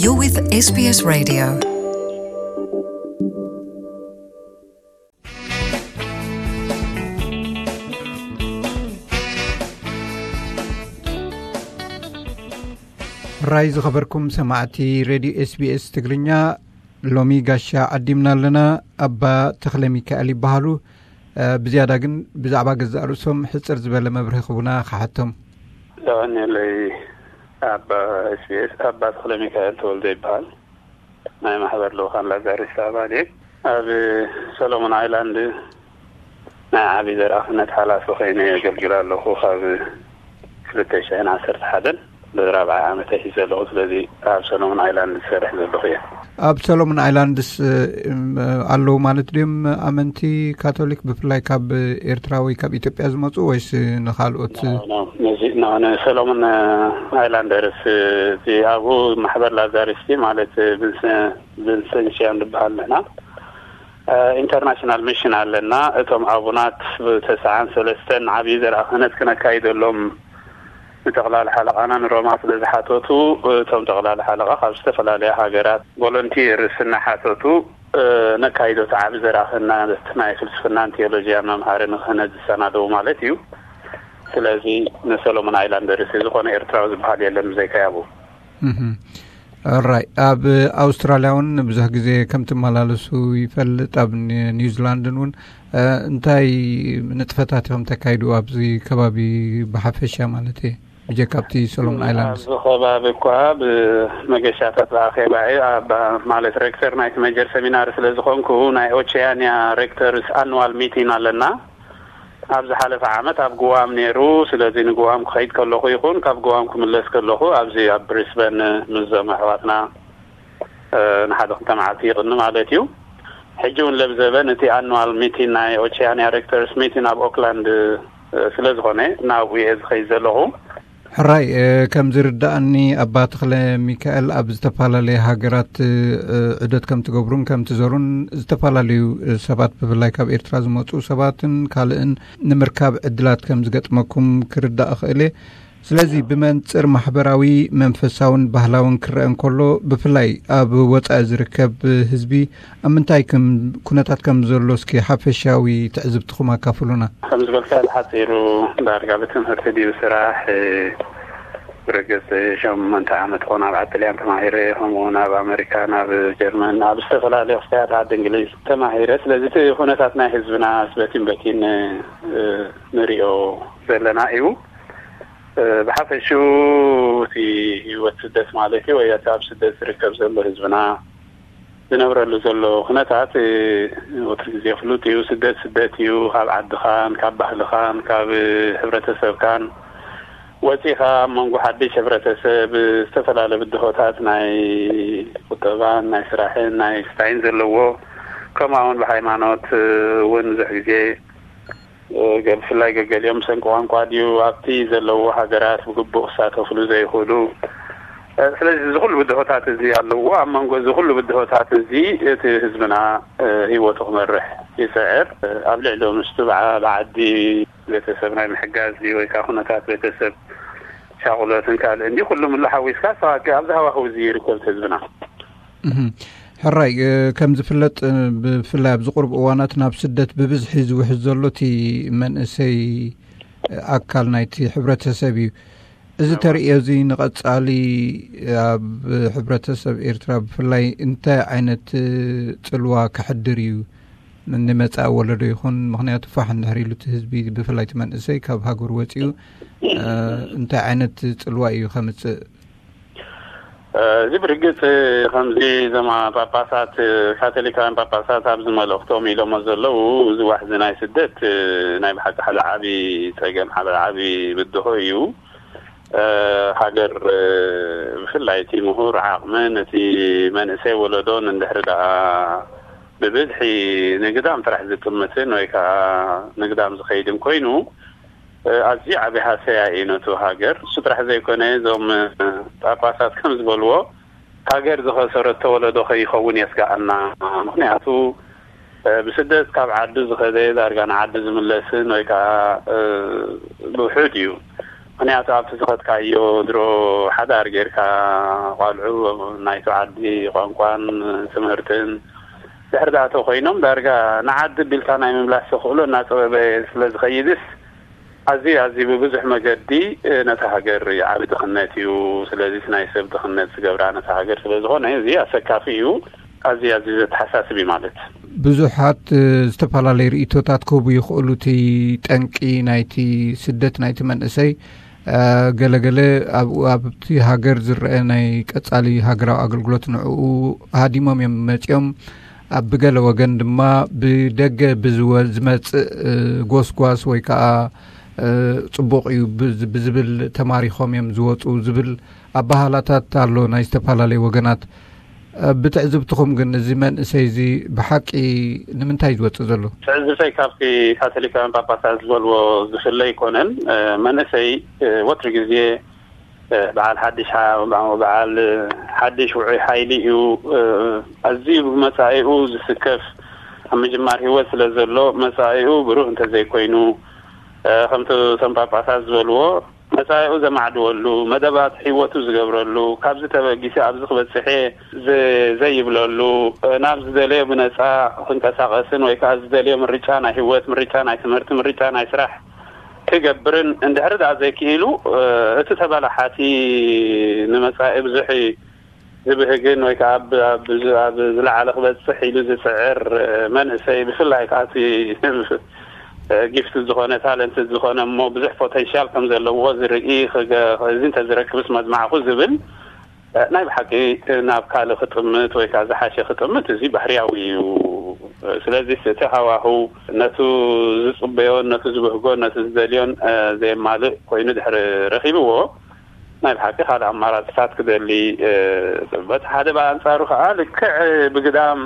You're with S B S Radio. ራይ ዝኸበርኩም ሰማዕቲ ሬድዮ ኤስቢኤስ ትግርኛ፣ ሎሚ ጋሻ ዓዲምና ኣለና። ኣባ ተኽለ ሚካኤል ይበሃሉ። እ፣ ብዝያዳ ግን ብዛዕባ ገዛእ ርእሶም ሕጽር ዝበለ መብርሂ ክቡና ክሓቶም። የቐንየለይ። ኣባ ኤስቢኤስ፣ ኣባ ተኽለ ሚካኤል ተወልደ ይበሃል። ናይ ማሕበር ልኡኻን ላዛሪስት ኣባል እየ። ኣብ ሰሎሞን ኣይላንድ ናይ ዓቢ ዘርኣ ክህነት ሓላፊ ኮይነ የገልግል ኣለኹ። ካብ ክልተ ሽሕን ዓሰርተ ሓደን ንራብዓይ ዓመተይ ሒዘ ኣለኹ። ስለዚ ኣብ ሰሎሞን ኣይላንድ ዝሰርሕ ዘለኹ እየ። ኣብ ሰሎሞን ኣይላንድስ፣ እ፣ እም፣ ኣለዉ ማለት ድዮም ኣመንቲ ካቶሊክ፣ ብፍላይ ካብ ኤርትራ ወይ ካብ ኢትዮጵያ ዝመጹ፣ ወይስ ንኻልኦት? ኖ፣ ኖ። ነዚ፣ ኖ፣ ንሰሎሞን፣ እ፣ ኣይላንደርስ፣ እ፣ እቲ ኣብኡ ማሕበር ላዛሪስቲ ማለት፣ እ፣ ብንስ-፣ ብንሰንሽያን ንበሃል ንሕና። እ፣ ኢንተርናሽናል ሚሽን ኣለና። እቶም ኣቡናት ብተስዓን ሰለስተን ዓብዪ ዘርኣ ክህነት ክነካይደሎም ንጠቕላሊ ሓለቓና ንሮማ ስለ ዝሓተቱ፣ እቶም ጠቕላሊ ሓለቓ ካብ ዝተፈላለያ ሃገራት ቮለንቲርስ እናሓተቱ፣ እ፣ ነካይዶ እቲ ዓቢ ዘርኣ ክህነት ናይ ፍልስፍናን ቴዎሎጂያን መምሃሪ ንክህነት ዝሰናደዉ ማለት እዩ። ስለዚ ንሰሎሞን ኣይላንደርስ ዝኾነ ኤርትራዊ ዝበሃል የለን ብዘይካ ያቡ። እህ። ኦራይ፣ ኣብ ኣውስትራልያ እውን ብዙሕ ግዜ ከም ትመላለሱ ይፈልጥ። ኣብ ኒ-፣ ኒውዚላንድን እውን፣ እ፣ እንታይ ንጥፈታት ኢኹም ተካይዱ ኣብዚ ከባቢ ብሓፈሻ ማለት እየ? ብጀካ ኣብቲ ሰሎሞን ኣይላንድስ። ኣብዚ ከባቢ እኳ ብመገሻታት ብኣኼባ እየ፣ ኣብ፣ ማለት ሬክተር ናይቲ ሜጀር ሰሚናሪ ስለ ዝኾንኩ ናይ ኦቸያንያ ሬክተርስ ኣኑዋል ሚቲን ኣለና። ኣብ ዝሓለፈ ዓመት ኣብ ጉዋም ነይሩ። ስለዚ ንጉዋም ክኸይድ ከለኹ ይኹን ካብ ጉዋም ክምለስ ከለኹ ኣብዚ ኣብ ብሪስበን ምስዞም ኣሕዋትና፣ እ፣ ንሓደ ክልተ መዓልቲ ይቕኒ ማለት እዩ። ሕጂ እውን ለብዘበን እቲ ኣኑዋል ሚቲን ናይ ኦቸያንያ ሬክተርስ ሚቲን ኣብ ኦክላንድ፣ እ፣ ስለ ዝኾነ ናብኡ እየ ዝኸይድ ዘለኹ። ሕራይ፣ እ፣ ከም ዝርዳእኒ ኣባ ተኽለ ሚካኤል ኣብ ዝተፈላለየ ሃገራት፣ እ፣ ዑደት ከም ትገብሩን ከም ትዘሩን ዝተፈላለዩ፣ እ፣ ሰባት ብፍላይ ካብ ኤርትራ ዝመጹ ሰባትን ካልእን ንምርካብ ዕድላት ከም ዝገጥመኩም ክርዳእ እኽእል እየ። ስለዚ ብመንጽር ማሕበራዊ፣ መንፈሳውን ባህላውን ክረአ እንከሎ ብፍላይ ኣብ ወጻኢ ዝርከብ ህዝቢ ኣብ ምንታይ ከም ኩነታት ከም ዘሎ እስኪ ሓፈሻዊ ትዕዝብትኹም ኣካፍሉና። ከም ዝበልካ ብሓጺሩ ዳርጋ ብትምህርቲ ድዩ ስራሕ፣ እ፣ ብርግጽ ሸሞንተ ዓመት ኾን ኣብ ዓዲ ጥልያን ተማሂረ፣ ከምኡ እውን ኣብ ኣመሪካ፣ ናብ ጀርመን፣ ኣብ ዝተፈላለዩ ክፍልታት ዓዲ እንግሊዝ ተማሂረ። ስለዚ እቲ ኩነታት ናይ ህዝብና በቲን በቲን፣ እ፣ ንሪኦ ዘለና እዩ። እ፣ ብሓፈሽኡ እቲ ህይወት ስደት ማለት እዩ፣ ወይ እቲ ኣብ ስደት ዝርከብ ዘሎ ህዝብና ዝነብረሉ ዘሎ ኩነታት፣ እ፣ ወትሩ ግዜ ፍሉጥ እዩ። ስደት ስደት እዩ። ካብ ዓድኻን ካብ ባህልኻን ካብ ሕብረተሰብካን ወፂኻ ኣብ መንጎ ሓድሽ ሕብረተሰብ ዝተፈላለየ ብድሆታት ናይ ቁጠባን ናይ ስራሕን ናይ ስታይን ዘለዎ፣ ከምኡ እውን ብሃይማኖት፣ እ፣ እውን ብዙሕ ግዜ፣ እ፣ ገ-፣ ብፍላይ ገገሊኦም ብሰንኪ ቋንቋ ድዩ ኣብቲ ዘለዎ ሃገራት ብግቡእ ክሳተፍሉ ዘይኽእሉ። እ፣ ስለዚ እዚ ኩሉ ብድሆታት እዚ ኣለዎ። ኣብ መንጎ እዚ ኩሉ ብድሆታት እዚ እቲ ህዝብና፣ እ፣ ህይወቱ ክመርሕ ይፅዕር። እ፣ ኣብ ልዕሊ ምስቱ ብዓ-፣ ብዓዲ ቤተሰብ ናይ ምሕጋዝ ድዩ ወይ ከዓ ኩነታት ቤተሰብ ሻቑሎትን ካልእን ድዩ ኩሉ ምሉ ሓዊስካ ሰዋቂ ኣብዚ ሃዋህው እዚ ይርከብ ህዝብና። እህ። ሕራይ፣ እ፣ ከም ዝፍለጥ፣ እ፣ ብፍላይ ኣብዚ ቁሩብ እዋናት ናብ ስደት ብብዝሒ ዝውሕዝ ዘሎ እቲ መንእሰይ፣ እ፣ ኣካል ናይቲ ሕብረተሰብ እዩ። እዚ እወ። ተርእዮ እዚ ንቐጻሊ ኣብ ሕብረተሰብ ኤርትራ ብፍላይ እንታይ ዓይነት፣ እ፣ ጽልዋ ከሕድር እዩ ንመጻኢ ወለዶ ይኹን? ምኽንያቱ ፋሕ እንድሕር ኢሉ እቲ ህዝቢ ብፍላይ እቲ መንእሰይ ካብ ሃገሩ ወጺኡ፣ እ፣ እንታይ ዓይነት ጽልዋ እዩ ከምጽእ? እ፣ እዚ ብርግጽ ከምዚ እዞም ጳጳሳት፣ ካቶሊካውያን ጳጳሳት ኣብዚ መልእኽቶም ኢሎሞ ዘለዉ፣ እዚ ዋሕዚ ናይ ስደት፣ እ፣ ናይ ብሓቂ ሓደ ዓቢ ጸገም፣ ሓደ ዓቢ ብድሆ እዩ። እ፣ ሃገር፣ እ፣ ብፍላይ እቲ ምሁር ዓቕምን እቲ መንእሰይ ወለዶን እንድሕሪ ደኣ ብብዝሒ ንግዳም ጥራሕ ዝጥምትን ወይ ከኣ ንግዳም ዝኸይድን ኮይኑ፣ እ፣ ኣዝዩ ዓቢ ሃሰያ እዩ ነቱ ሃገር። እሱ ጥራሕ ዘይኮነ፣ እዞም፣ እ፣ ጳጳሳት ከም ዝበልዎ፣ ሃገር ዝኸሰረቶ ወለዶ ከይኸውን የስግኣና። ምኽንያቱ፣ እ፣ ብስደት ካብ ዓዱ ዝኸደ ዳርጋ ንዓዱ ዝምለስን ወይ ከኣ፣ እ፣ ብውሑድ እዩ። ምክንያቱ ኣብቲ ዝኸድካዮ ድሮ ሓዳር ጌርካ፣ ቋልዑ ናይቲ ዓዲ ቋንቋን ትምህርትን ድሕሪ ዝኣተው ኮይኖም፣ ዳርጋ ንዓዲ ቢልካ ናይ ምምላስ ተኽእሎ እናጸበበ ስለ ዝኸይድስ፣ ኣዝዩ ኣዝዩ ብብዙሕ መገዲ ነታ ሃገር ዓቢ ድኽነት እዩ። ስለዚስ ናይ ሰብ ድኽነት ዝገብራ ነታ ሃገር ስለ ዝኾነ፣ እዚ ኣሰካፊ እዩ። ኣዝዩ ኣዝዩ ዘተሓሳስብ እዩ ማለት። ብዙሓት ዝተፈላለዩ ርእይቶታት ክህቡ ይኽእሉ። እቲ ጠንቂ ናይቲ ስደት ናይቲ መንእሰይ፣ ገለገለ ኣብኡ ኣብቲ ሃገር ዝረአ ናይ ቀጻሊ ሃገራዊ ኣገልግሎት ንዕኡ ሃዲሞም እዮም መጺኦም። ኣብ ብገለ ወገን ድማ ብደገ ብዝወ- ዝመጽእ ጎስጓስ ወይ ከዓ ጽቡቕ እዩ ብዝ- ብዝብል ተማሪኾም እዮም ዝወፁ ዝብል ኣባሃላታት ኣሎ ናይ ዝተፈላለዩ ወገናት። ብትዕዝብትኹም ግን እዚ መንእሰይ እዚ ብሓቂ ንምንታይ ዝወፅእ ዘሎ? ትዕዝብተይ ካብቲ ካቶሊካውያን ጳጳሳት ዝበልዎ ዝፍለ ኣይኮነን። መንእሰይ ወትሪ ግዜ በዓል ሓድሽ ሓ- በዓል ሓድሽ ውዑይ ሓይሊ እዩ። ኣዝዩ ብመጻኢኡ ዝስከፍ፣ ኣብ ምጅማር ህይወት ስለ ዘሎ፣ መጻኢኡ ብሩህ እንተዘይኮይኑ፣ ከምቲ እቶም ጳጳሳት ዝበልዎ፣ መጻኢኡ ዘማዕድወሉ፣ መደባት ህይወቱ ዝገብረሉ፣ ካብዚ ተበጊሰ ኣብዚ ክበጽሕ እየ ዝ- ዘይብለሉ፣ ናብ ዝደለዮ ብነጻ ክንቀሳቐስን ወይ ከዓ ዝደለዮ ምርጫ ናይ ህይወት፣ ምርጫ ናይ ትምህርቲ፣ ምርጫ ናይ ስራሕ ክገብርን እንድሕር ደኣ ዘይክኢሉ፣ እቲ ተበላሓቲ ንመጻኢ ብዙሕ ዝብህግን ወይ ከዓ ኣብ- ኣብ- ኣብ ዝለዓለ ክበጽሕ ኢሉ ዝጽዕር መንእሰይ፣ ብፍላይ ከዓ እቲ ጊፍት ዝኾነ፣ ታለንት ዝኾነ፣ እሞ ብዙሕ ፖቴንሻል ከም ዘለዎ ዝርኢ፣ ክገ- እዚ እንተዝረክብስ መድማዕኩ ዝብል፣ ናይ ብሓቂ ናብ ካልእ ክጥምት ወይ ከዓ ዝሓሸ ክጥምት፣ እዚ ባህርያዊ እዩ። ስለዚ እቲ ሃዋህው ነቱ ዝጽበዮን ነቱ ዝብህጎን ነቱ ዝደልዮን ዘየማልእ ኮይኑ ድሕሪ ረኺብዎ፣ ናይ ብሓቂ ካልእ ኣማራፅታት ክደሊ። በቲ ሓደ ብኣንፃሩ ከዓ ልክዕ ብግዳም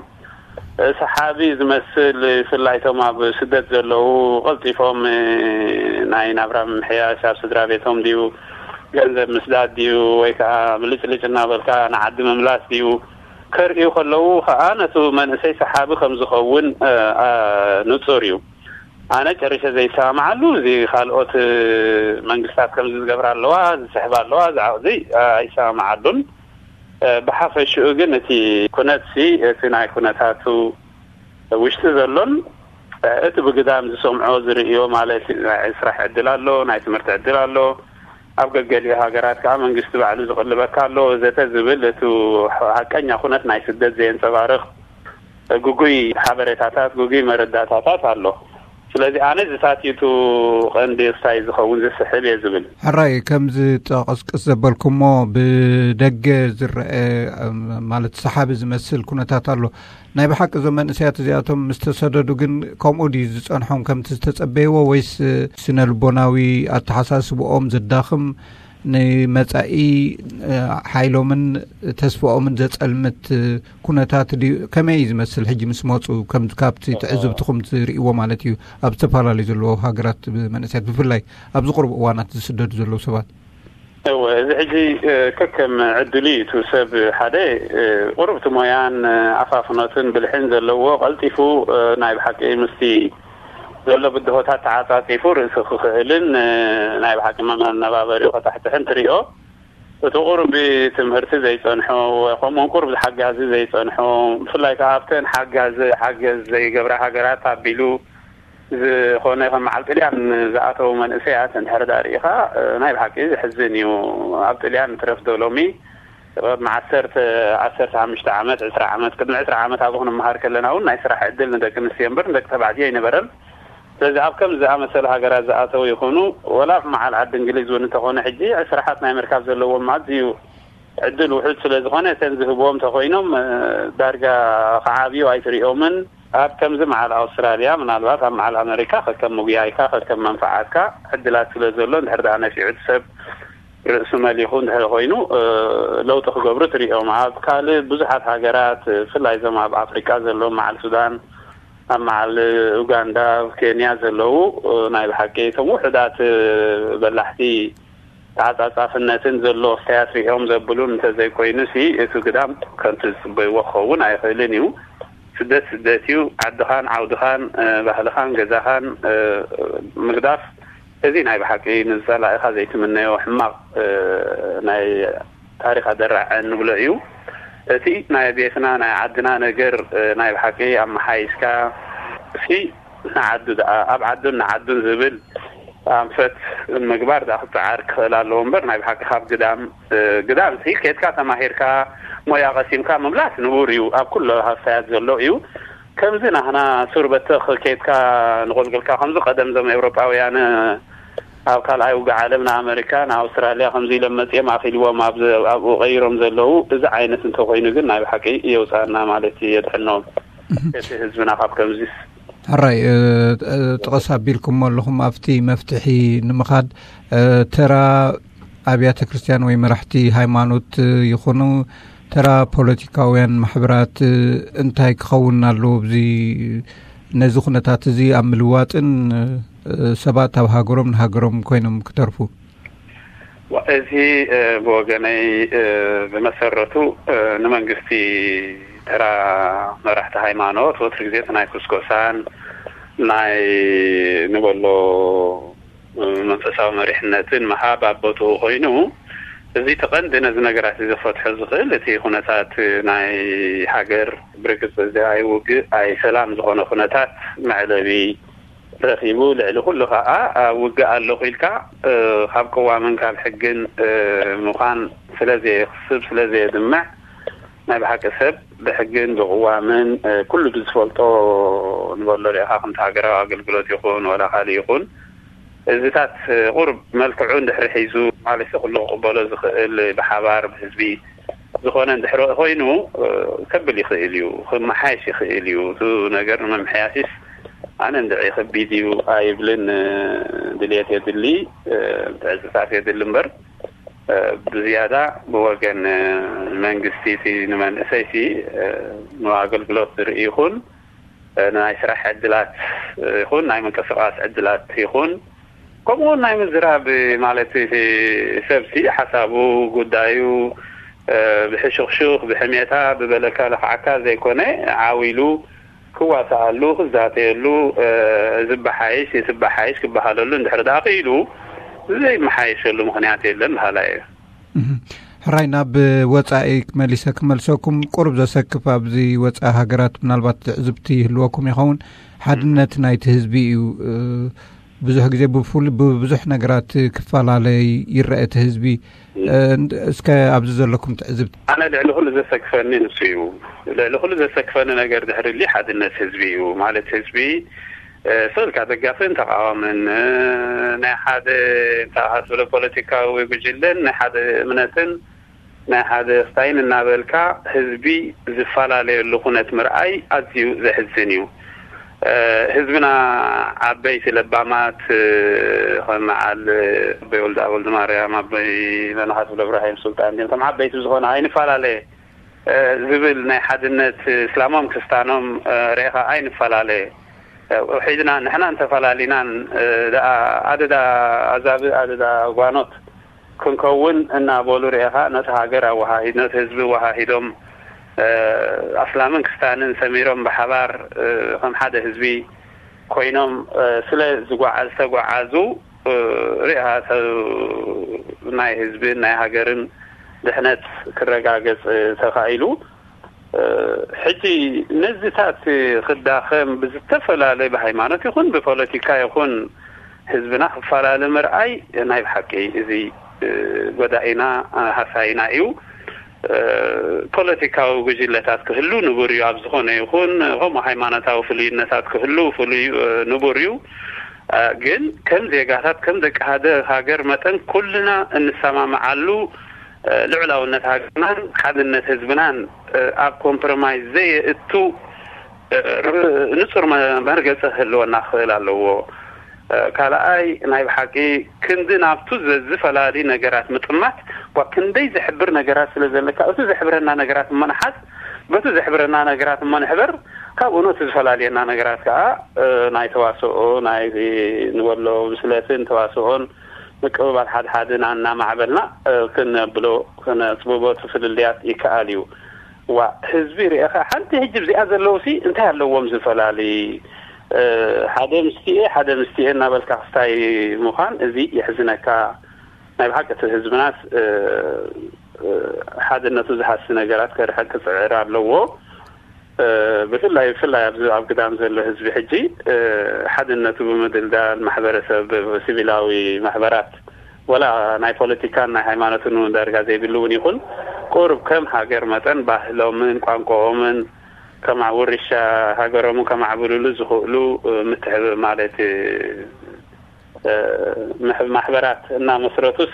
ሰሓቢ ዝመስል፣ ብፍላይ እቶም ኣብ ስደት ዘለዉ፣ ቀልጢፎም ናይ ናብራ ምምሕያሽ፣ ኣብ ስድራ ቤቶም ድዩ፣ ገንዘብ ምስዳድ ድዩ፣ ወይ ከዓ ብልጭልጭ እናበልካ ንዓዲ ምምላስ ድዩ ከርእዩ ከለዉ ከዓ፣ ነቱ መንእሰይ ሰሓቢ ከም ዝኸውን ንፁር እዩ። ኣነ ጨሪሸ ዘይሰማማዓሉ፣ እዚ ካልኦት መንግስታት ከምዚ ዝገብራ ኣለዋ፣ ዝስሕባ ኣለዋ፣ ዝዓቕዚ ኣይሰማማዓሉን። ብሓፈሽኡ ግን እቲ ኩነትሲ፣ እቲ ናይ ኩነታቱ ውሽጢ ዘሎን እቲ ብግዳም ዝሰምዖ ዝርእዮ፣ ማለት ናይ ስራሕ ዕድል ኣሎ፣ ናይ ትምህርቲ ዕድል ኣሎ፣ ኣብ ገገሊኡ ሃገራት ከዓ መንግስቲ ባዕሉ ዝቕልበካ ኣሎ ወዘተ ዝብል፣ እቲ ሓቀኛ ኩነት ናይ ስደት ዘየንፀባርቕ ግጉይ ሓበሬታታት፣ ግጉይ መረዳታታት ኣሎ። ስለዚ ኣነ ዝሳትዩቱ ቀንዲ ክሳይ ዝኸውን ዝስሕብ እየ ዝብል። ሕራይ፣ ከምዚ ጠቐስቅስ ዘበልኩሞ ብደገ ዝረአ ማለት ሰሓቢ ዝመስል ኩነታት ኣሎ። ናይ ብሓቂ እዞም መንእሰያት እዚኣቶም ምስ ተሰደዱ ግን ከምኡ ድዩ ዝጸንሖም ከምቲ ዝተጸበይዎ፣ ወይስ ስነ ልቦናዊ ኣተሓሳስብኦም ዘዳኽም፣ ንመጻኢ ሓይሎምን ተስፋኦምን ዘጸልምት ኩነታት ድዩ? ከመይ እዩ ዝመስል ሕጂ ምስ መጹ፣ ከም ካብቲ ትዕዝብትኹም ትርእይዎ ማለት እዩ፣ ኣብ ዝተፈላለዩ ዘለዎ ሃገራት መንእሰያት ብፍላይ ኣብዚ ቁሩብ እዋናት ዝስደዱ ዘለዉ ሰባት? እወ፣ እዚ ሕጂ ከከም ዕድሉ እዩ። እቲ ሰብ ሓደ ቁሩብ እቲ ሞያን ኣፋፍኖትን ብልሕን ዘለዎ ቀልጢፉ ናይ ብሓቂ ምስቲ ዘሎ ብድሆታት ተዓጻጺፉ ርእሱ ክኽእልን ናይ ብሓቂ መነባበሪኡ ከታሕትሕን ትሪኦ። እቲ ቁሩብ ትምህርቲ ዘይጸንሖ፣ ከምኡውን ቁሩብ ሓጋዚ ዘይጸንሖ፣ ብፍላይ ከዓ ኣብተን ሓጋዚ ሓገዝ ዘይገብራ ሃገራት ኣቢሉ ዝኾነ ከም በዓል ጥልያን ዝኣተው መንእሰያት እንድሕር ዳ ርኢኻ፣ ናይ ብሓቂ ዘሕዝን እዩ። ኣብ ጥልያን ትረፍ ዶ ሎሚ፣ ቅድሚ ዓሰርተ፣ ዓሰርተ ሓሙሽተ ዓመት፣ ዕስራ ዓመት፣ ቅድሚ ዕስራ ዓመት ኣብኡ ክንመሃር ከለና እውን ናይ ስራሕ ዕድል ንደቂ ኣንስትዮ እምበር ንደቂ ተባዕትዮ ኣይነበረን። ስለዚ ኣብ ከም ዝኣመሰለ ሃገራት ዝኣተው ይኹኑ፣ ወላ ኣብ መዓል ዓዲ እንግሊዝ እውን እንተኾነ፣ ሕጂ ስራሓት ናይ ምርካብ ዘለዎም ኣዝዩ ዕድል ውሑድ ስለ ዝኾነ፣ እተን ዝህብዎም እንተኾይኖም፣ ዳርጋ ክዓብዩ ኣይትሪኦምን። ኣብ ከምዚ መዓል ኣውስትራልያ፣ ምናልባት ኣብ መዓል ኣመሪካ፣ ከከም ምጉያይካ፣ ከከም መንፈዓትካ ዕድላት ስለ ዘሎ፣ እንድሕር ደኣ ነፊዑ እቲ ሰብ ርእሱ መሊኹ እንድሕር ኮይኑ፣ ለውጢ ክገብሩ ትሪኦም። ኣብ ካልእ ብዙሓት ሃገራት፣ ብፍላይ እዞም ኣብ ኣፍሪቃ ዘለዉ፣ መዓል ሱዳን፣ ኣብ መዓል ኡጋንዳ፣ ኣብ ኬንያ ዘለዉ፣ ናይ ብሓቂ እቶም ውሑዳት በላሕቲ ተዓጻጻፍነትን ዘሎ ኣስተያየት ሪኦም ዘብሉን እንተዘይኮይኑሲ፣ እቲ ግዳም ከምቲ ዝጽበይዎ ክኸውን ኣይኽእልን እዩ። ስደት ስደት እዩ። ዓድኻን ዓውድኻን፣ እ፣ ባህልኻን ገዛኻን፣ እ፣ ምግዳፍ እዚ ናይ ብሓቂ ንዝጸላእኻ ዘይትምነዮ ሕማቕ ናይ ታሪኽ ኣደራዕ እንብሎ እዩ። እቲ ናይ ቤትና ናይ ዓድና ነገር ናይ ብሓቂ ኣመሓይሽካ ሲ ንዓዱ ደኣ ኣብ ዓዱን ንዓዱን ዝብል ኣንፈት ምግባር ደኣ ክጸዓር ክኽእል ኣለዎ እምበር ናይ ብሓቂ ካብ ግዳም ግዳም ሲ ከድካ ተማሂርካ ሞያ ቀሲምካ ምምላስ ንቡር እዩ። ኣብ ኩሎ ሃፍታያት ዘሎ እዩ። ከምዚ ናህና ሱር በተኽ ከይድካ ንቆልቅልካ ከምዚ ቀደም ዞም ኤውሮጳውያን ኣብ ካልኣይ ውግእ ዓለም ንኣመሪካ ንኣውስትራልያ ከምዚ ኢሎም መጺኦም ኣኺልዎም ኣብኡ ቀይሮም ዘለዉ እዚ ዓይነት እንተኮይኑ ግን ናይ ብሓቂ የውፃና ማለት የድሕኖም እቲ ህዝብና ካብ ከምዚስ። ሕራይ ጥቐስ ኣቢልኩም ኣለኹም ኣብቲ መፍትሒ ንምኻድ ተራ ኣብያተ ክርስትያን ወይ መራሕቲ ሃይማኖት ይኹኑ ተራ ፖለቲካውያን ማሕበራት እንታይ ክኸውን ኣለዎ? እዚ ነዚ ኩነታት እዚ ኣብ ምልዋጥን ሰባት ኣብ ሃገሮም ንሃገሮም ኮይኖም ክተርፉ። እዚ ብወገነይ ብመሰረቱ ንመንግስቲ ተራ መራሕቲ ሃይማኖት ወትሪ ግዜ ናይ ኩስኮሳን ናይ ንበሎ መንፈሳዊ መሪሕነትን ምሃብ ኣብ ቦትኡ ኮይኑ፣ እዚ እቲ ቀንዲ ነዚ ነገራት እዚ ክፈትሖ ዝኽእል እቲ ኩነታት ናይ ሃገር ብርግጽ እዚ ኣይ ውግእ ኣይ ሰላም ዝኾነ ኩነታት መዕለቢ ረኺቡ፣ ልዕሊ ኩሉ ከኣ ውግእ ኣለኹ ኢልካ ካብ ቅዋምን ካብ ሕግን ምዃን ስለ ዘየኽስብ ስለ ዘየድምዕ ናይ ብሓቂ ሰብ ብሕግን ብቅዋምን ኩሉ ብዝፈልጦ ንበሎ ሪኢኻ ከምቲ ሃገራዊ ኣገልግሎት ይኹን ወላ ካልእ ይኹን እዚታት ቁሩብ መልክዑ እንድሕሪ ሒዙ ማለት ኩሉ ክቕበሎ ዝኽእል ብሓባር ብህዝቢ ዝኾነ እንድሕሪ ኮይኑ ከብል ይኽእል እዩ፣ ክመሓየሽ ይኽእል እዩ። እቲ ነገር ንምምሕያሽስ ኣነ እንድዒ ከቢድ እዩ ኣይብልን፣ ድልየት የድሊ፣ ምትዕጽጻፍ የድሊ እምበር ብዝያዳ ብወገን መንግስቲ እቲ ንመንእሰይ ሲ ንኣገልግሎት ዝርኢ ይኹን ናይ ስራሕ ዕድላት ይኹን ናይ ምንቅስቃስ ዕድላት ይኹን ከምኡ እውን ናይ ምዝራብ ማለት እቲ ሰብ ሲ ሓሳቡ ጉዳዩ ብሕሹኽሹኽ ብሕሜታ ብበለካ ለኽዓካ ዘይኮነ ዓው ኢሉ ክዋሳኣሉ ክዛተየሉ ዝበሓይሽ የትበሓይሽ ክበሃለሉ እንድሕር ደኣ ክኢሉ ዘይመሓየሸሉ ምኽንያት የለን በሃላይ እየ። ሕራይ ናብ ወፃኢ መሊሰ ክመልሰኩም ቁሩብ ዘሰክፍ ኣብዚ ወፃኢ ሃገራት ምናልባት ትዕዝብቲ ይህልወኩም ይኸውን ሓድነት ናይቲ ህዝቢ እዩ ብዙሕ ግዜ ብፍሉ ብብዙሕ ነገራት ክፈላለይ ይረአ እቲ ህዝቢ እስከ ኣብዚ ዘለኩም ትዕዝብቲ ኣነ ልዕሊ ኩሉ ዘሰክፈኒ ንሱ እዩ። ልዕሊ ኩሉ ዘሰክፈኒ ነገር ድሕርሊ ሓድነት ህዝቢ እዩ። ማለት ህዝቢ ስልካ ደጋፍን ተቃዋምን ናይ ሓደ እንተሃስብለ ፖለቲካዊ ጉጅለን ናይ ሓደ እምነትን ናይ ሓደ ስታይን እናበልካ ህዝቢ ዝፈላለየሉ ኩነት ምርኣይ ኣዝዩ ዘሕዝን እዩ። ህዝብና ዓበይቲ ለባማት ከም መዓል ኣቦይ ወልደ ወልደ ማርያም ኣቦይ መነኻስ ብለብራሂም ሱልጣን ዲም ከም ዓበይቲ ብዝኾነ ኣይንፈላለየ ዝብል ናይ ሓድነት እስላሞም ክስታኖም ሬኻ ኣይንፈላለየ ውሒድና ንሕና እንተፈላሊናን ደኣ ኣደዳ ኣዛብእ ኣደዳ ጓኖት ክንከውን እናበሉ ርኤኻ ነቲ ሃገር ኣወሃሂድ ነቲ ህዝቢ ኣወሃሂዶም ኣስላምን ክስታንን ሰሚሮም ብሓባር ከም ሓደ ህዝቢ ኮይኖም ስለ ዝተጓዓዙ ርኢኻ ሰብ ናይ ህዝብን ናይ ሃገርን ድሕነት ክረጋገጽ ተኻኢሉ ሕጂ ነዚታት ክዳኸም ብዝተፈላለየ ብሃይማኖት ይኹን ብፖለቲካ ይኹን ህዝብና ክፈላለ ምርኣይ ናይ ብሓቂ እዚ ጎዳኢና ሃሳይና እዩ። ፖለቲካዊ ጉጅለታት ክህሉ ንቡር እዩ ኣብ ዝኾነ ይኹን ከምኡ ሃይማኖታዊ ፍሉይነታት ክህሉ ፍሉይ ንቡር እዩ። ግን ከም ዜጋታት ከም ደቂ ሃደ ሃገር መጠን ኩልና እንሰማምዓሉ ልዑላውነት ሃገርናን ሓድነት ህዝብናን ኣብ ኮምፕሮማይዝ ዘየእቱ ንጹር መርገጺ ክህልወና ክኽእል ኣለዎ። ካልኣይ ናይ ብሓቂ ክንዲ ናብቱ ዝፈላሊ ነገራት ምጥማት ኳ ክንደይ ዘሕብር ነገራት ስለ ዘለካ እቲ ዘሕብረና ነገራት እሞ ንሓዝ በቲ ዘሕብረና ነገራት እሞ ንሕበር ካብኡ ነቲ ዝፈላልየና ነገራት ከዓ ናይ ተዋስኦ ናይ ንበሎ ብስለትን ተዋስኦን ምቅብባል ሓድሓድና እናማዕበልና ክነብሎ ክነፅብቦ እቲ ፍልልያት ይከኣል እዩ። ዋ ህዝቢ ርኤኻ ሓንቲ ሕጂ ብዚኣ ዘለውሲ እንታይ ኣለዎም ዝፈላሊ ሓደ ምስቲኤ ሓደ ምስቲኤ እናበልካ ክስታይ ምዃን፣ እዚ የሕዝነካ። ናይ ብሓቂ እቲ ህዝብናስ ሓድነቱ ዝሃሲ ነገራት ከርሕቅ ክፅዕር ኣለዎ። ብፍላይ ብፍላይ ኣብዚ ኣብ ግዳም ዘሎ ህዝቢ ሕጂ ሓድነቱ ብምድልዳል፣ ማሕበረሰብ፣ ሲቪላዊ ማሕበራት፣ ወላ ናይ ፖለቲካን ናይ ሃይማኖትን እውን ዳርጋ ዘይብሉ እውን ይኹን፣ ቁሩብ ከም ሃገር መጠን ባህሎምን ቋንቋኦምን ከማዕ ውርሻ ሃገሮምን ከማዕብሉሉ ዝኽእሉ ምትሕብ ማለት ማሕበራት እናመስረቱስ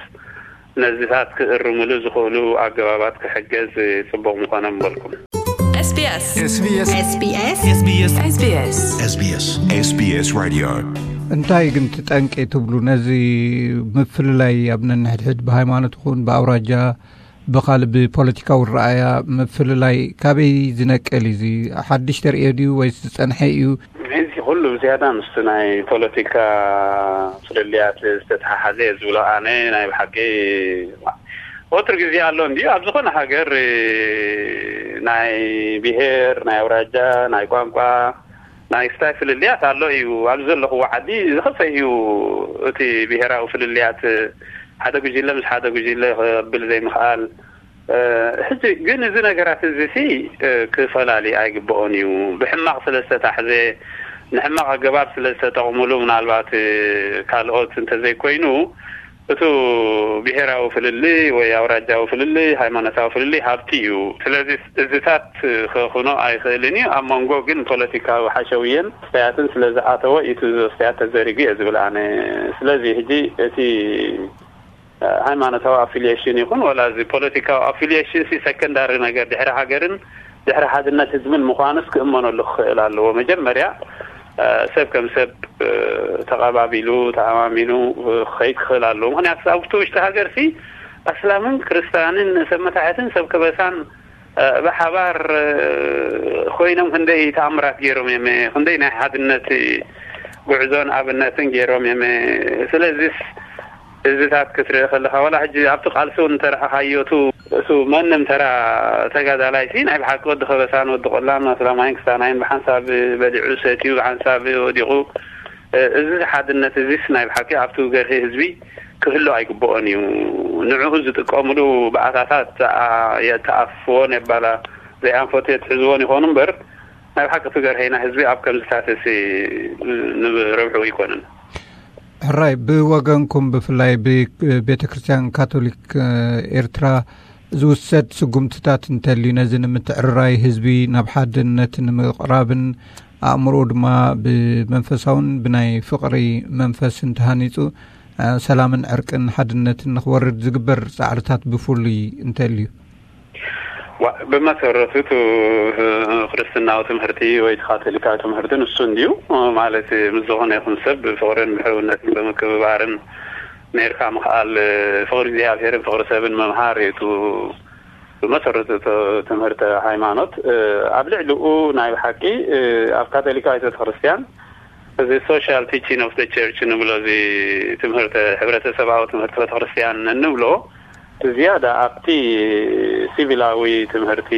ነዚታት ክእርምሉ ዝኽእሉ ኣገባባት ክሕገዝ ጽቡቕ ምኾነ ምበልኩም። SBS SBS SBS SBS SBS SBS SBS Radio። እንታይ ግን ትጠንቂ ትብሉ ነዚ ምፍልላይ ኣብ ነንሕድሕድ ብሃይማኖት ይኹን ብኣውራጃ ብኻልእ ብፖለቲካዊ ረኣያ ምፍልላይ ካበይ ዝነቅል እዩ? እዚ ሓድሽ ተርእዮ ድዩ ወይስ ዝጸንሐ እዩ? እዚ ኩሉ ብዝያዳ ምስቲ ናይ ፖለቲካ ፍልልያት ዝተተሓሓዘ እየ ዝብሎ። ኣነ ናይ ብሓቂ ወትሩ ግዜ ኣሎ እንድዩ ኣብ ዝኾነ ሃገር ናይ ብሄር፣ ናይ ኣውራጃ፣ ናይ ቋንቋ፣ ናይ ስታይ ፍልልያት ኣሎ እዩ። ኣብዚ ዘለኹዎ ዓዲ ዝኸፈ እዩ እቲ ብሄራዊ ፍልልያት። ሓደ ጉጅለ ምስ ሓደ ጉጅለ ክብል ዘይምኽኣል። ሕጂ ግን እዚ ነገራት እዚ ሲ ክፈላሊ ኣይግብኦን እዩ። ብሕማቕ ስለ ዝተታሕዘ፣ ንሕማቕ ኣገባብ ስለ ዝተጠቕሙሉ፣ ምናልባት ካልኦት እንተዘይኮይኑ፣ እቱ ብሄራዊ ፍልልይ ወይ ኣውራጃዊ ፍልልይ፣ ሃይማኖታዊ ፍልልይ ሃብቲ እዩ። ስለዚ እዚታት ክኹኖ ኣይኽእልን እዩ። ኣብ መንጎ ግን ፖለቲካዊ ሓሸውየን ስተያትን ስለ ዝኣተወ እዩ እቲ ስተያት ተዘሪጉ እየ ዝብል ኣነ። ስለዚ ሕጂ እቲ ሃይማኖታዊ ኣፊሊሽን ይኹን ወላ እዚ ፖለቲካዊ ኣፊሊሽን ሲ ሰከንዳሪ ነገር ድሕሪ ሃገርን ድሕሪ ሓድነት ህዝብን ምዃኑስ ክእመነሉ ክኽእል ኣለዎ። መጀመርያ ሰብ ከም ሰብ ተቐባቢሉ ተኣማሚኑ ክኸይድ ክኽእል ኣለዎ። ምኽንያቱ ኣብቲ ውሽጢ ሃገር ሲ ኣስላምን ክርስታንን ሰብ መታሕትን ሰብ ከበሳን ብሓባር ኮይኖም ክንደይ ተኣምራት ገይሮም እዮም። ክንደይ ናይ ሓድነት ጉዕዞን ኣብነትን ገይሮም እዮም። ስለዚስ እዚታት ክትርኢ ከለኻ፣ ዋላ ሕጂ ኣብቲ ቃልሲ እውን እንተረኣኻዮ፣ እቱ፣ እቱ መንም ተራ ተጋዳላይ ሲ ናይ ብሓቂ ወዲ ከበሳን ወዲ ቆላን ኣስላማይን ክስታናይን ብሓንሳብ በሊዑ ሰትዩ፣ ብሓንሳብ ወዲቑ፣ እዚ ሓድነት እዚስ ናይ ብሓቂ ኣብቲ ገርሂ ህዝቢ ክህሉ ኣይግብኦን እዩ። ንዕኡ ዝጥቀምሉ ብኣታታት የተኣፍዎን የባላ ዘይኣንፈቱ የትሕዝዎን ይኾኑ እምበር፣ ናይ ብሓቂ እቲ ገርሂና ህዝቢ ኣብ ከምዚታት ሲ ንረብሑ ኣይኮነን። ሕራይ፣ ብወገንኩም ብፍላይ ብቤተ ክርስቲያን ካቶሊክ ኤርትራ ዝውሰድ ስጉምትታት እንተልዩ፣ ነዚ ንምትዕርራይ ህዝቢ ናብ ሓድነት ንምቕራብን ኣእምሮኡ ድማ ብመንፈሳውን ብናይ ፍቕሪ መንፈስን ተሃኒጹ ሰላምን ዕርቅን ሓድነትን ንኽወርድ ዝግበር ጻዕርታት ብፍሉይ እንተልዩ? ዋ፣ ብመሰረቱ እቲ ክርስትናዊ ትምህርቲ ወይ እቲ ካቶሊካዊ ትምህርቲ ንሱ እንድዩ። ማለት ምስ ዝኾነ ይኹን ሰብ ብፍቕርን ብሕውነትን ብምክብባርን ኔርካ ምኽኣል፣ ፍቕሪ እግዚኣብሄርን ፍቕሪ ሰብን ምምሃር እዩ። እቲ ብመሰረቱ እቲ ትምህርቲ ሃይማኖት፣ ኣብ ልዕሊኡ ናይ ብሓቂ ኣብ ካቶሊካዊት ቤተክርስትያን እዚ social teaching of the church ንብሎ፣ እዚ ትምህርቲ፣ ሕብረተሰባዊ ትምህርቲ ቤተክርስትያን እንብሎ፣ ዝያዳ ኣብቲ ሲቪላዊ ትምህርቲ፣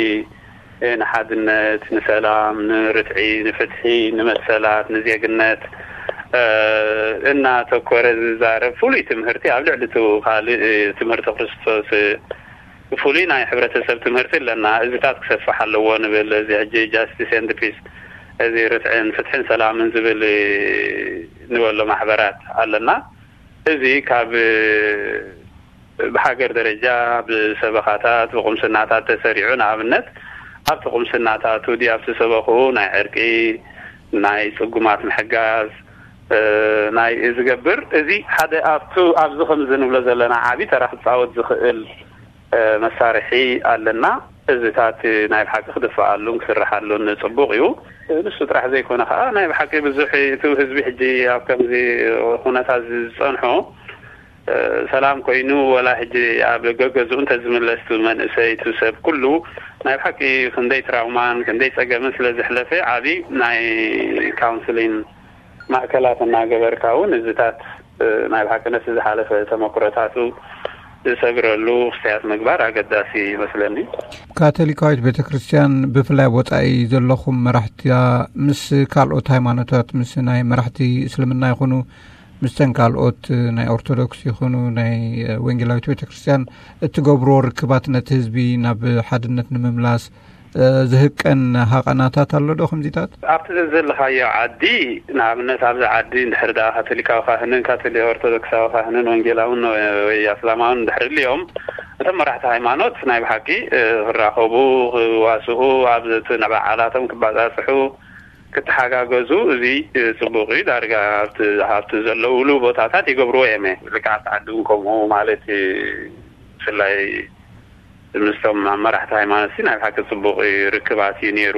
ንሓድነት፣ ንሰላም፣ ንርትዒ፣ ንፍትሒ፣ ንመሰላት፣ ንዜግነት እናተኮረ ዝዛረብ ፍሉይ ትምህርቲ፣ ኣብ ልዕሊ እቲ ካልእ ትምህርቲ ክርስቶስ ፍሉይ ናይ ሕብረተሰብ ትምህርቲ ኣለና። እዚታት ክሰፍሕ ኣለዎ ንብል። እዚ ሕጂ justice and peace፣ እዚ ርትዕን ፍትሕን ሰላምን ዝብል ንበሎ ማሕበራት ኣለና። እዚ ካብ ብሃገር ደረጃ ብሰበኻታት፣ ብቁምስናታት ተሰሪዑ፣ ንኣብነት ኣብቲ ቁምስናታቱ ድዩ ኣብቲ ሰበኽኡ ናይ ዕርቂ፣ ናይ ጽጉማት ምሕጋዝ፣ ናይ ዝገብር፣ እዚ ሓደ ኣብቱ ኣብዚ ከምዚ ንብሎ ዘለና ዓቢ ተራ ክጻወት ዝኽእል መሳርሒ ኣለና። እዚታት ናይ ብሓቂ ክድፈኣሉን ክስርሓሉን ጽቡቕ እዩ። ንሱ ጥራሕ ዘይኮነ ከኣ ናይ ብሓቂ ብዙሕ እቲ ህዝቢ ሕጂ ኣብ ከምዚ ኩነታት ዝጸንሖ ሰላም ኮይኑ፣ ወላ ሕጂ ኣብ ገገዝኡ እንተዝምለስ እቲ መንእሰይ፣ እቲ ሰብ ኩሉ ናይ ብሓቂ ክንደይ ትራውማን ክንደይ ጸገምን ስለ ዘሕለፈ፣ ዓቢ ናይ ካውንስሊን ማእከላት እናገበርካ እውን እዚታት ናይ ብሓቂ ነቲ ዝሓለፈ ተመኩሮታቱ ዝሰግረሉ ክስተያት ምግባር ኣገዳሲ ይመስለኒ። ካቶሊካዊት ቤተ ክርስቲያን፣ ብፍላይ ወጻኢ ዘለኹም መራሕቲያ፣ ምስ ካልኦት ሃይማኖታት፣ ምስ ናይ መራሕቲ እስልምና ይኹኑ፣ ምስተን ካልኦት ናይ ኦርቶዶክስ ይኹኑ ናይ ወንጌላዊት ቤተ ክርስቲያን እትገብርዎ ርክባት፣ ነቲ ህዝቢ ናብ ሓድነት ንምምላስ ዝህቀን ሃቐናታት ኣሎ ዶ ከምዚታት? ኣብቲ ዘለኻዮ ዓዲ፣ ንኣብነት ኣብዚ ዓዲ እንድሕር ደኣ ካቶሊካዊ ካህንን ካቶሊክ ኦርቶዶክሳዊ ካህንን ወንጌላውን ወይ ኣስላማውን እንድሕር ልዮም፣ እቶም መራሕቲ ሃይማኖት ናይ ብሓቂ ክራኸቡ፣ ክዋስኡ፣ ኣብ እቲ ንበዓላቶም ክባጻጽሑ፣ ክተሓጋገዙ፣ እዚ ጽቡቕ እዩ። ዳርጋ ኣብቲ ዘለውሉ ቦታታት ይገብርዎ እዮም። ልክዓት ዓዲ እውን ከምኡ ማለት እዩ። ብፍላይ ምስቶም ኣብ መራሕቲ ሃይማኖት ሲ ናይ ብሓቂ ጽቡቕ ርክባት እዩ ነይሩ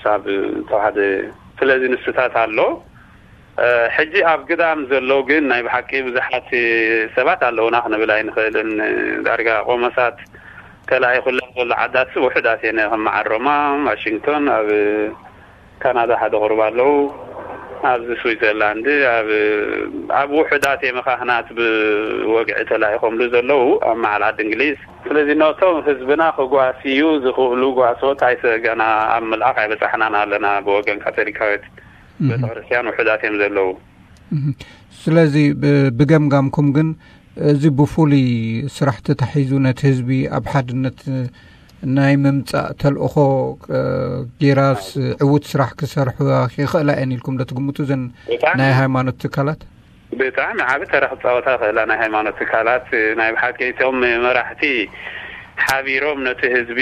ሳብ ተዋህደ። ስለዚ ንስታት ኣሎ። ሕጂ ኣብ ግዳም ዘሎ ግን ናይ ብሓቂ ብዙሓት ሰባት ኣለውና ክንብል ኣይንኽእልን። ዳርጋ ቆመሳት ተላኢኹለን ዘሎ ዓዳት ውሑዳት እየን። ከም መዓረማ ዋሽንግቶን፣ ኣብ ካናዳ ሓደ ቁሩብ ኣለዉ። ኣብዚ ስዊዘርላንድ ኣብ ውሑዳት የመኻኽናት ብወግዒ ተላኢኾምሉ ዘለዉ ኣብ መዓል ዓዲ እንግሊዝ። ስለዚ ነቶም ህዝብና ክጓስዩ ዝኽእሉ ጓሶት ኣይሰገና ኣብ ምልኣኽ ኣይበጻሕናን ኣለና። ብወገን ካቶሊካዊት ቤተክርስትያን ውሑዳት እዮም ዘለዉ። ስለዚ ብገምጋምኩም ግን እዚ ብፍሉይ ስራሕ ተታሒዙ ነቲ ህዝቢ ኣብ ሓድነት ናይ ምምፃእ ተልእኾ ጌራስ ዕዉት ስራሕ ክሰርሑ ይኽእላ እየን ኢልኩም ዶ ትግምቱ? እዘን ናይ ሃይማኖት ትካላት ብጣዕሚ ዓቢ ተራ ክፃወታ ይኽእላ። ናይ ሃይማኖት ትካላት ናይ ብሓቂ እቶም መራሕቲ ሓቢሮም ነቲ ህዝቢ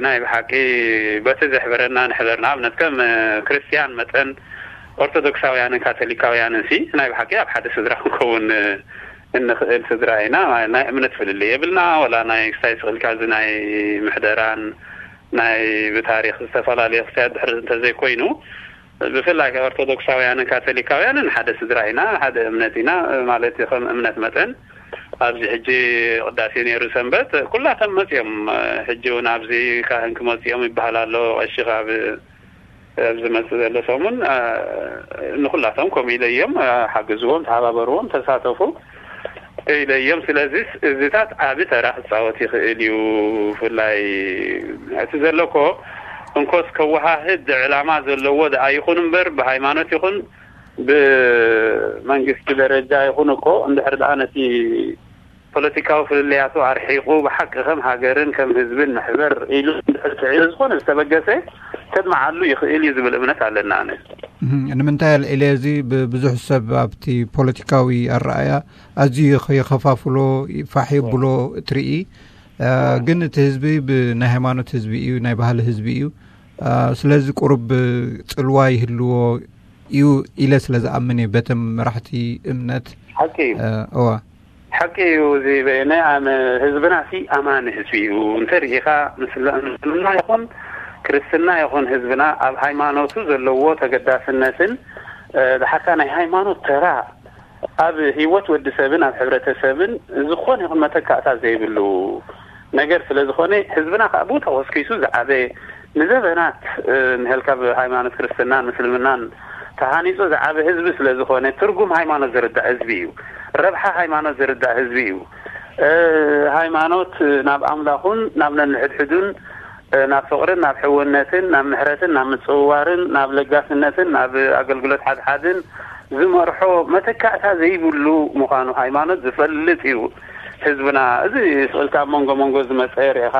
ናይ ብሓቂ በቲ ዘሕበረና ንሕበር። ንኣብነት ከም ክርስትያን መጠን ኦርቶዶክሳውያንን ካቶሊካውያንን ሲ ናይ ብሓቂ ኣብ ሓደ ስድራ ክንከውን እንኽእል ስድራ ኢና። ናይ እምነት ፍልልይ የብልና። ወላ ናይ ክስታይ ስቕልካ እዚ ናይ ምሕደራን ናይ ብታሪኽ ዝተፈላለየ ክስታያት ድሕሪ እንተዘይኮይኑ፣ ብፍላይ ኦርቶዶክሳውያንን ካቶሊካውያንን ሓደ ስድራ ኢና፣ ሓደ እምነት ኢና ማለት እዩ። ከም እምነት መጠን ኣብዚ ሕጂ ቅዳሴ ነይሩ ሰንበት ኩላቶም መፅኦም። ሕጂ እውን ኣብዚ ካህን ክመፅኦም ይበሃል ኣሎ። ቀሺ ካብ ኣብዚ መፅእ ዘሎ ሰሙን ንኩላቶም ከምኡ ኢለ እዮም ሓግዝዎም፣ ተሓባበርዎም፣ ተሳተፉ ኢለ እዮም። ስለዚ እዚታት ዓቢ ተራ ክፃወት ይኽእል እዩ። ብፍላይ እቲ ዘሎ እኮ እንኮስ ከወሃህድ ዕላማ ዘለዎ ደኣ ይኹን እምበር ብሃይማኖት ይኹን ብመንግስቲ ደረጃ ይኹን እኮ እንድሕር ደኣ ነቲ ፖለቲካዊ ፍልልያቱ ኣርሒቑ ብሓቂ ከም ሃገርን ከም ህዝብን ንሕበር ኢሉ እንድሕር ጽዒሩ ዝኾነ ዝተበገሰ ከድምዓሉ ይኽእል እዩ ዝብል እምነት ኣለና። ኣነ ንምንታይ ኣልዒለ እዚ ብብዙሕ ሰብ ኣብቲ ፖለቲካዊ ኣረኣያ ኣዝዩ ይኸፋፍሎ ፋሕ የብሎ ትርኢ። ግን እቲ ህዝቢ ብናይ ሃይማኖት ህዝቢ እዩ፣ ናይ ባህሊ ህዝቢ እዩ። ስለዚ ቁሩብ ጽልዋ ይህልዎ እዩ ኢለ ስለ ዝኣምን እየ። በተም መራሕቲ እምነት ሓቂ እዩ። እዋ ሓቂ እዩ። እዚ በየነ ኣመ ህዝብና ሲ ኣማኒ ህዝቢ እዩ። እንተ ርኢኻ ምስልና ይኹን ክርስትና ይኹን ህዝብና ኣብ ሃይማኖቱ ዘለዎ ተገዳስነትን ድሓርካ ናይ ሃይማኖት ተራ ኣብ ህይወት ወዲ ሰብን ኣብ ሕብረተሰብን ዝኾነ ይኹን መተካእታ ዘይብሉ ነገር ስለ ዝኾነ ህዝብና ከዓ ብኡ ተኾስኪሱ ዝዓበ ንዘበናት ንህልካ ብሃይማኖት ክርስትናን ምስልምናን ተሃኒፁ ዝዓበ ህዝቢ ስለ ዝኾነ ትርጉም ሃይማኖት ዝርዳእ ህዝቢ እዩ። ረብሓ ሃይማኖት ዝርዳእ ህዝቢ እዩ። ሃይማኖት ናብ ኣምላኹን ናብ ነንሕድሕዱን ናብ ፍቕርን ናብ ሕውነትን ናብ ምሕረትን ናብ ምጽውዋርን ናብ ለጋስነትን ናብ ኣገልግሎት ሓድሓድን ዝመርሖ መተካእታ ዘይብሉ ምዃኑ ሃይማኖት ዝፈልጥ እዩ። ህዝብና እዚ ስእልካ ኣብ መንጎ መንጎ ዝመፀ ርኢኻ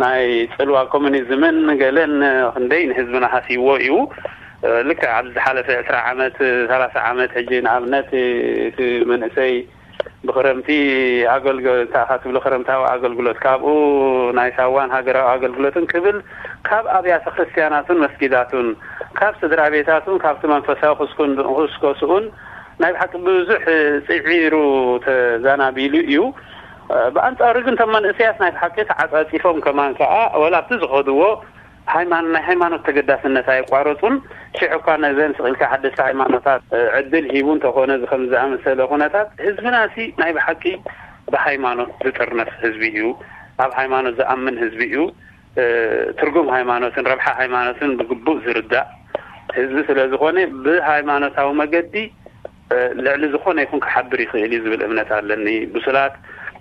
ናይ ፅልዋ ኮሚኒዝምን ገለን ክንደይ ንህዝብና ሃስይዎ እዩ። ልክዕ ኣብዚ ዝሓለፈ ዕስራ ዓመት ሰላሳ ዓመት ሕጂ ንኣብነት እቲ መንእሰይ ብክረምቲ ኣገልግሎት እንታይ ኢኻ ትብሎ ክረምታዊ ኣገልግሎት ካብኡ ናይ ሳዋን ሃገራዊ ኣገልግሎትን ክብል ካብ ኣብያተ ክርስትያናቱን መስጊዳቱን ካብ ስድራ ቤታቱን ካብቲ መንፈሳዊ ክስኩስከስኡን ናይ ብሓቂ ብዙሕ ፅዒሩ ተዛናቢሉ እዩ። ብኣንፃሩ ግን እቶም መንእሰያት ናይ ብሓቂ ተዓፃፂፎም ከማን ከዓ ወላ ኣብቲ ዝኸድዎ ሃይማኖት ናይ ሃይማኖት ተገዳስነት ኣየቋረፁን። ሽዑ እኳ ነዘን ስቕ ኢልካ ሓደስቲ ሃይማኖታት ዕድል ሂቡ እንተኾነ እዚ ከም ዝኣመሰለ ኩነታት ህዝብና ሲ ናይ ብሓቂ ብሃይማኖት ዝጥርነፍ ህዝቢ እዩ። ኣብ ሃይማኖት ዝኣምን ህዝቢ እዩ። ትርጉም ሃይማኖትን ረብሓ ሃይማኖትን ብግቡእ ዝርዳእ ህዝቢ ስለ ዝኾነ ብሃይማኖታዊ መገዲ ልዕሊ ዝኾነ ይኹን ክሓብር ይኽእል እዩ ዝብል እምነት ኣለኒ። ብሱላት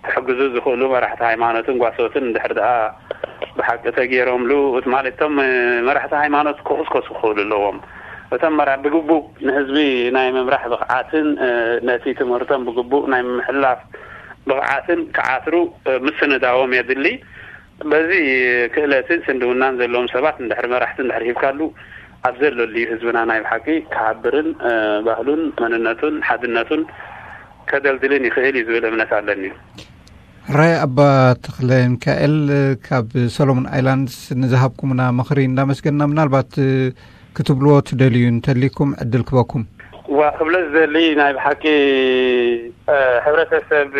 ክሕግዙ ዝኽእሉ መራሕቲ ሃይማኖትን ጓሶትን እንድሕር ደኣ ብሓቂ ተገይሮምሉ፣ ማለት እቶም መራሕቲ ሃይማኖት ክቕስቀሱ ክኽእሉ ኣለዎም። እቶም መራ ብግቡእ ንህዝቢ ናይ ምምራሕ ብቕዓትን ነቲ ትምህርቶም ብግቡእ ናይ ምሕላፍ ብቕዓትን ክዓትሩ ምስንዳዎም የድሊ። በዚ ክእለትን ስንድውናን ዘለዎም ሰባት እንድሕር መራሕቲ እንድሕር ሂብካሉ፣ ኣብ ዘለሉ ህዝብና ናይ ብሓቂ ክሓብርን ባህሉን መንነቱን ሓድነቱን ከደልድልን ይኽእል እዩ ዝብል እምነት ኣለኒ። ሕራይ ኣባ ተኽለ ሚካኤል፣ ካብ ሰሎሞን ኣይላንድስ ንዝሃብኩምና ምኽሪ እንዳመስገንና፣ ምናልባት ክትብልዎ ትደልዩ እንተሊኩም ዕድል ክበኩም። ዋ ክብለ ዝደሊ፣ ናይ ብሓቂ ሕብረተሰብ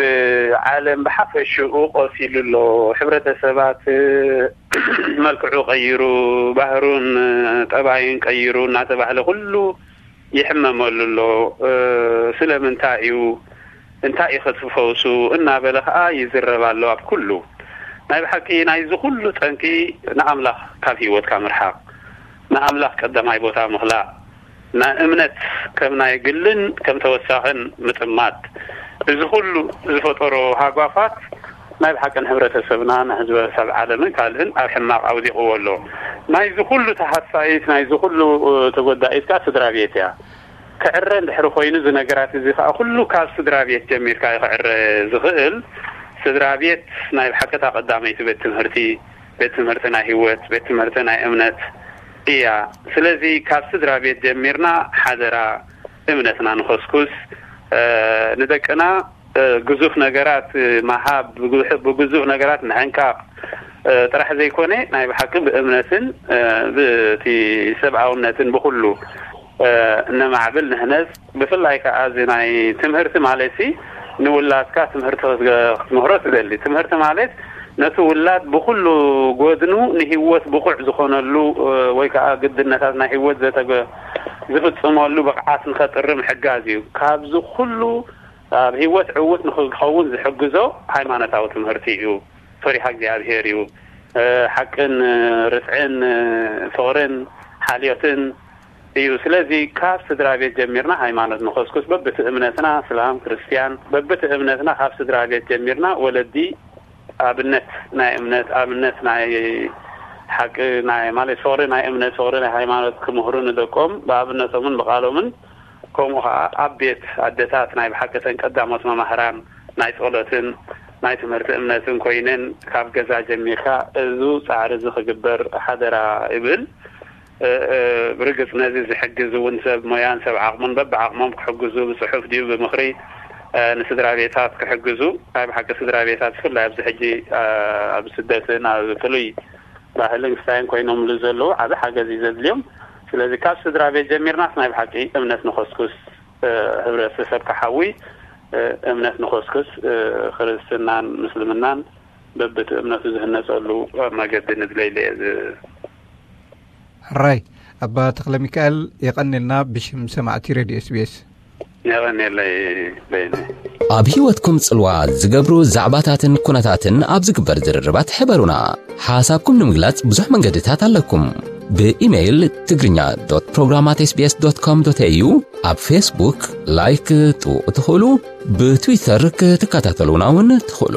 ዓለም ብሓፈሽኡ ቆሲሉ ኣሎ። ሕብረተሰባት መልክዑ ቀይሩ፣ ባህሩን ጠባዩን ቀይሩ እናተባህለ ኩሉ ይሕመመሉ ኣሎ። ስለምንታይ እዩ፣ እንታይ እዩ ከትፈውሱ እናበለ ከዓ ይዝረብ ኣሎ። ኣብ ኩሉ ናይ ብሓቂ ናይዚ ኩሉ ጠንቂ ንኣምላኽ ካብ ህይወትካ ምርሓቕ፣ ንኣምላኽ ቀዳማይ ቦታ ምኽላእ፣ ንእምነት ከም ናይ ግልን ከም ተወሳኽን ምጥማት፣ እዚ ኩሉ ዝፈጠሮ ሃጓፋት ናይ ብሓቂ ንሕብረተሰብና ንሕዝበሰብ ዓለምን ካልእን ኣብ ሕማቕ ኣውዲቕዎ ኣሎ። ናይዚ ኩሉ ተሃሳይት ናይዚ ኩሉ ተጎዳኢት ከዓ ስድራ ቤት እያ። ክዕረ እንድሕሪ ኮይኑ እዚ ነገራት እዚ ከዓ ኩሉ ካብ ስድራ ቤት ጀሚርካ እዩ ክዕረ ዝኽእል። ስድራ ቤት ናይ ብሓቂ እታ ቀዳመይቲ ቤት ትምህርቲ፣ ቤት ትምህርቲ ናይ ህይወት፣ ቤት ትምህርቲ ናይ እምነት እያ። ስለዚ ካብ ስድራ ቤት ጀሚርና ሓደራ እምነትና ንኸስኩስ፣ ንደቅና ግዙፍ ነገራት ምሃብ፣ ብግዙፍ ነገራት ምሕንቃቕ ጥራሕ ዘይኮነ ናይ ብሓቂ ብእምነትን ብቲ ሰብኣውነትን ብኩሉ ነማዕብል ንህነጽ። ብፍላይ ከዓ እዚ ናይ ትምህርቲ ማለት ሲ ንውላድካ ትምህርቲ ክትመክሮ ትደሊ። ትምህርቲ ማለት ነቲ ውላድ ብኩሉ ጎድኑ ንህይወት ብቑዕ ዝኾነሉ ወይ ከዓ ግድነታት ናይ ህይወት ዘተገ ዝፍጽመሉ ብቕዓት ንኸጥሪ ምሕጋዝ እዩ። ካብዚ ኩሉ ኣብ ህይወት ዕውት ንክኸውን ዝሕግዞ ሃይማኖታዊ ትምህርቲ እዩ። ፈሪሃ እግዚኣብሔር እዩ። ሓቅን ርትዕን ፍቕርን ሓልዮትን እዩ። ስለዚ ካብ ስድራ ቤት ጀሚርና ሃይማኖት ንኸስኩስ፣ በብቲ እምነትና፣ እስላም ክርስትያን፣ በብቲ እምነትና ካብ ስድራ ቤት ጀሚርና ወለዲ ኣብነት ናይ እምነት፣ ኣብነት ናይ ሓቂ፣ ናይ ማለት ፍቕሪ ናይ እምነት፣ ፍቕሪ ናይ ሃይማኖት ክምህሩ ንደቆም ብኣብነቶምን ብቃሎምን፣ ከምኡ ከዓ ኣብ ቤት ኣደታት ናይ ብሓቂ ተን ቀዳሞት መማህራን ናይ ጸሎትን ናይ ትምህርቲ እምነትን ኮይነን ካብ ገዛ ጀሚርካ እዚ ጻዕሪ እዚ ክግበር ሓደራ ይብል። ብርግጽ ነዚ ዝሕግዝ እውን ሰብ ሞያን ሰብ ዓቕሙን በብዓቕሞም ክሕግዙ፣ ብጽሑፍ ድዩ ብምኽሪ ንስድራ ቤታት ክሕግዙ። ናይ ብሓቂ ስድራ ቤታት ብፍላይ ኣብዚ ሕጂ ኣብ ስደትን ኣብ ፍሉይ ባህልን ክስታይን ኮይኖምሉ ዘለዉ ዓቢ ሓገዝ እዩ ዘድልዮም። ስለዚ ካብ ስድራ ቤት ጀሚርናስ ናይ ብሓቂ እምነት ንኸስኩስ፣ ሕብረተሰብ ክሓዊ እምነት ንኸስኩስ፣ ክርስትናን ምስልምናን በብቲ እምነቱ ዝህነጸሉ መገዲ ንድለይለ እየ። ሕራይ ኣባ ተኽለ ሚካኤል፣ የቐንልና ብሽም ሰማዕቲ ሬድዮ ኤስቢኤስ። የቐንየለይ በይነ። ኣብ ህይወትኩም ጽልዋ ዝገብሩ ዛዕባታትን ኩነታትን ኣብ ዝግበር ዝርርባት ሕበሩና። ሓሳብኩም ንምግላጽ ብዙሕ መንገድታት ኣለኩም። ብኢሜይል ትግርኛ ዶት ፕሮግራም ኣት ኤስቢኤስ ዶት ኮም ዶት ኤዩ፣ ኣብ ፌስቡክ ላይክ ክትጥውቑ ትኽእሉ፣ ብትዊተር ክትከታተሉና እውን ትኽእሉ።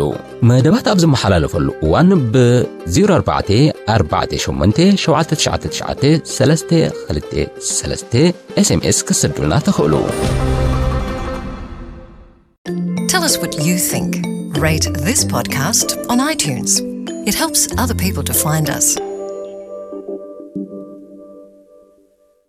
መደባት ኣብ ዝመሓላለፈሉ እዋን ብ ዜሮ ኣርባዕተ ኣርባዕተ ሸሞንተ ሸውዓተ ትሽዓተ ትሽዓተ ሰለስተ ክልተ ሰለስተ ኤስኤምኤስ ክትሰዱልና ትኽእሉ። Tell us what you think. Rate this podcast on iTunes. It helps other people to find us.